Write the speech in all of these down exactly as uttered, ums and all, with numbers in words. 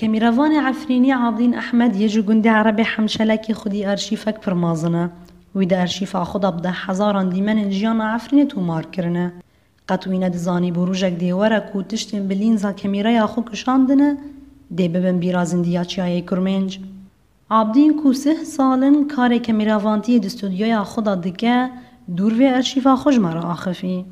Kemîrevanê Efrînî Abdîn Ehmed yê ji gundê Erebê Hemşelekê xwedî arşîvek pir mezin e. Wî di arşîva xwe de bi deh hezaran dîmenên jiyana Efrînê tomar kirine. Qet wî nedizanîbû rojek dê were ku tiştên bi lînza kemîreya xwe kişandine, dê bibin bîra zindî ya Çiyayê Kurmênc. Abdîn ku sih sal in karê kemîravantiyê di studyoya xwe de dike, dûr vê arşîva xwe ji me re axifî.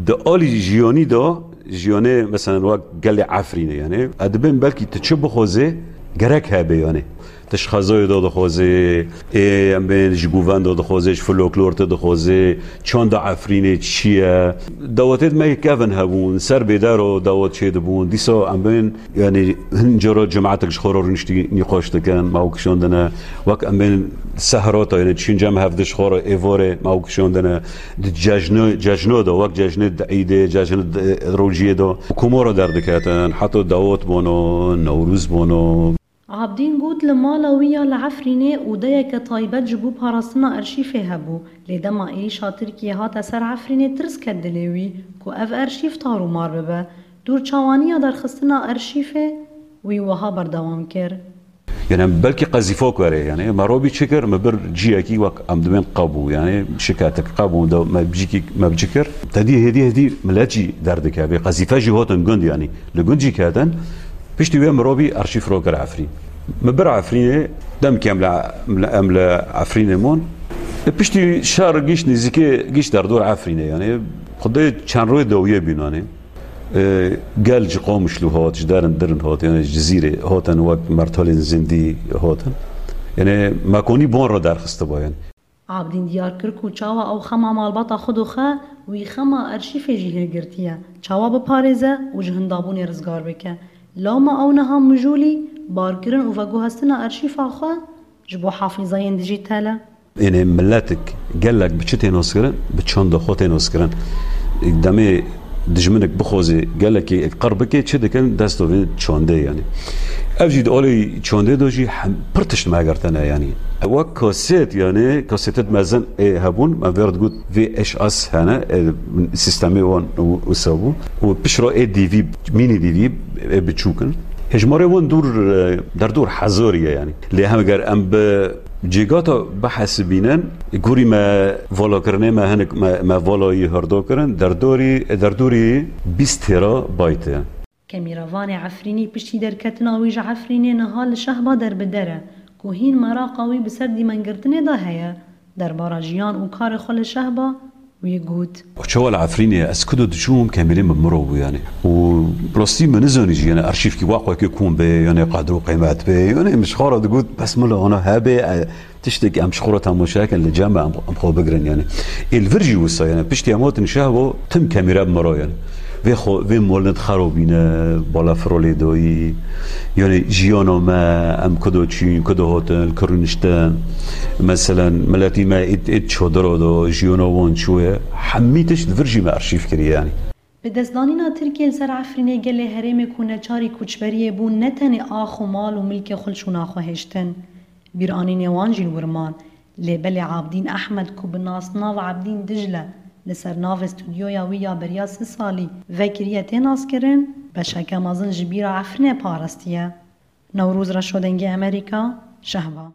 Di alî jiyanî de, jiyanê, meselen, wek gelê Efrînê, yani, ez dibêm belkî tu çi bixwazê, gerek hebe, yani. Tu ji xezayê de dixwazê, ê, em bên ji govend de dixwazê, ji folklor te dixwazê, çanda Efrînê çi ye? Dawetê me kevin hebûn, ser bêdero dawet çêdibûn. Dîsa em bên, yani, hin cara cemaetek ji xwe re rûniştî nîqaş dikin, me ew kişandine. Wek em bên sehra te, yani, çîn cem hevdi ji xwe re êvarê me ew kişandine. Di cejno, cejno de, wek cejnê di îdê, cejnê di rojiyê de, komara derdiketin, heta dawet bono, Newrûz bono. Abdîn got, li mala wî ya li Efrînê odeyeke taybet ji bo parastina arşîvê hebû, lê dema êrîşa Tirkiyê hate ser Efrînê, tirs ket dilê wî ku ev arşîv tar û mar bibe. Dûr çawaniya derxistina arşîvê wî wiha berdewam kir. Yani, em belkî qezîfok were, yani, me robî çi kir, me bir ciyekî wek em dibên qebû, yani, şiketek qebû de me bicikî, me bici kir. Tedî hêdî hêdî milet jî derdikeve, qezîfe jî hotin gund, yani, li gund jî ketin. Piştî wê mirovî arşîv ro kir Efrîn. Me bir Efrînê, demkî em li, em li, em li Efrînê mon. E, piştî şer gişt nêzîkê, gişt derdor Efrînê, yani, xwedê çend royê dawiyê bînanê. E, gel ji Qamişlo hat, ji derin dirin hat, yani ji Cizîrê hatin, wek mertalên zindî hatin. Yani, me konî ban re derxistiba, yani. Abdîn diyar kir ku çawa ew xema malbata xwe dixe, wî xema arşîvê jî hilgirtiye, çawa biparêze û ji hindabûnê rizgar bike. Lewma ew niha mijûlî, barkirin û veguhestina arşîva xwe ji bo hafîzeyên dijîtal e. Ênê miletik gelek bi çi tê naskirin? Bi çanda xwe tê naskirin. Demê dijminik bixwazê gelekî qir bike, çi dikin? Dest dovên çandê, yani. Ev jî di alî çandê de jî hem pir tişt me girtine, yani. Wek kaset, yani, kasetet mezin ê hebûn, me vê re digot V H S hene, e, sîstemê wan û, wisa bû. Û piştre ê D V, mini D V, ê biçûk in. Hejmarê wan dûr, e, derdor hezarî ye, yani. Lê hem eger em bi cêgata bihesibînin, gorî me valakirinê me hinek me, me valayî hirdo kirin, derdorî, derdorî bîst terabayt e. Kemîrevanê Efrînî piştî derketina wî ji Efrînê niha li Şehba derbider e, ku hîn meraqa wî bi ser dîmengirtinê de heye. Derbara jiyan û karê xwe li Şehba, wî got. Çawa li Efrînê ez kudo diçûm, kemîrê min miro bû, yani. Û rastî min nizanî jî, yani, arşîvkî waq wekê kom bê, yani, qedr û qîmet bê. Yani, min ji xwe re digot, bes mila ana hebe, e, tiştek em ji xwe re temaşe kin, li cem em, em xwe bigirin, yani. Ê li vir jî wisa, yani, piştî em hatin Şehba, tim kemîre bi miro, yani. Vê xwe, vê molin xerabîne, balafiro lê dayî. Yani, jiyana me, em kudo çûn, kudo hatin, li ku rûniştin. Meselen, miletî me êd, êd çadira de, jiyana wan çûye. Hemî tişt li vir jî me arşîv kiriye, yani. Bi destdanîna Tirkiyê li ser Efrînê gelê herêmê ku neçarî koçberiyê bûn, ne tenê ax û mal û milkê xwe li şûna xwe hêştin. Bîranînê wan jî li wir man. Lê belê Abdîn Ehmed ku bi nasnav Abdîn Dicle li ser navê studyoya wî ya beriya sih salî vekiriye tê naskirin, beşeke mezin ji bîra Efrînê parastiye. Newroz Reşo, Dengê Amerîka, Şehba.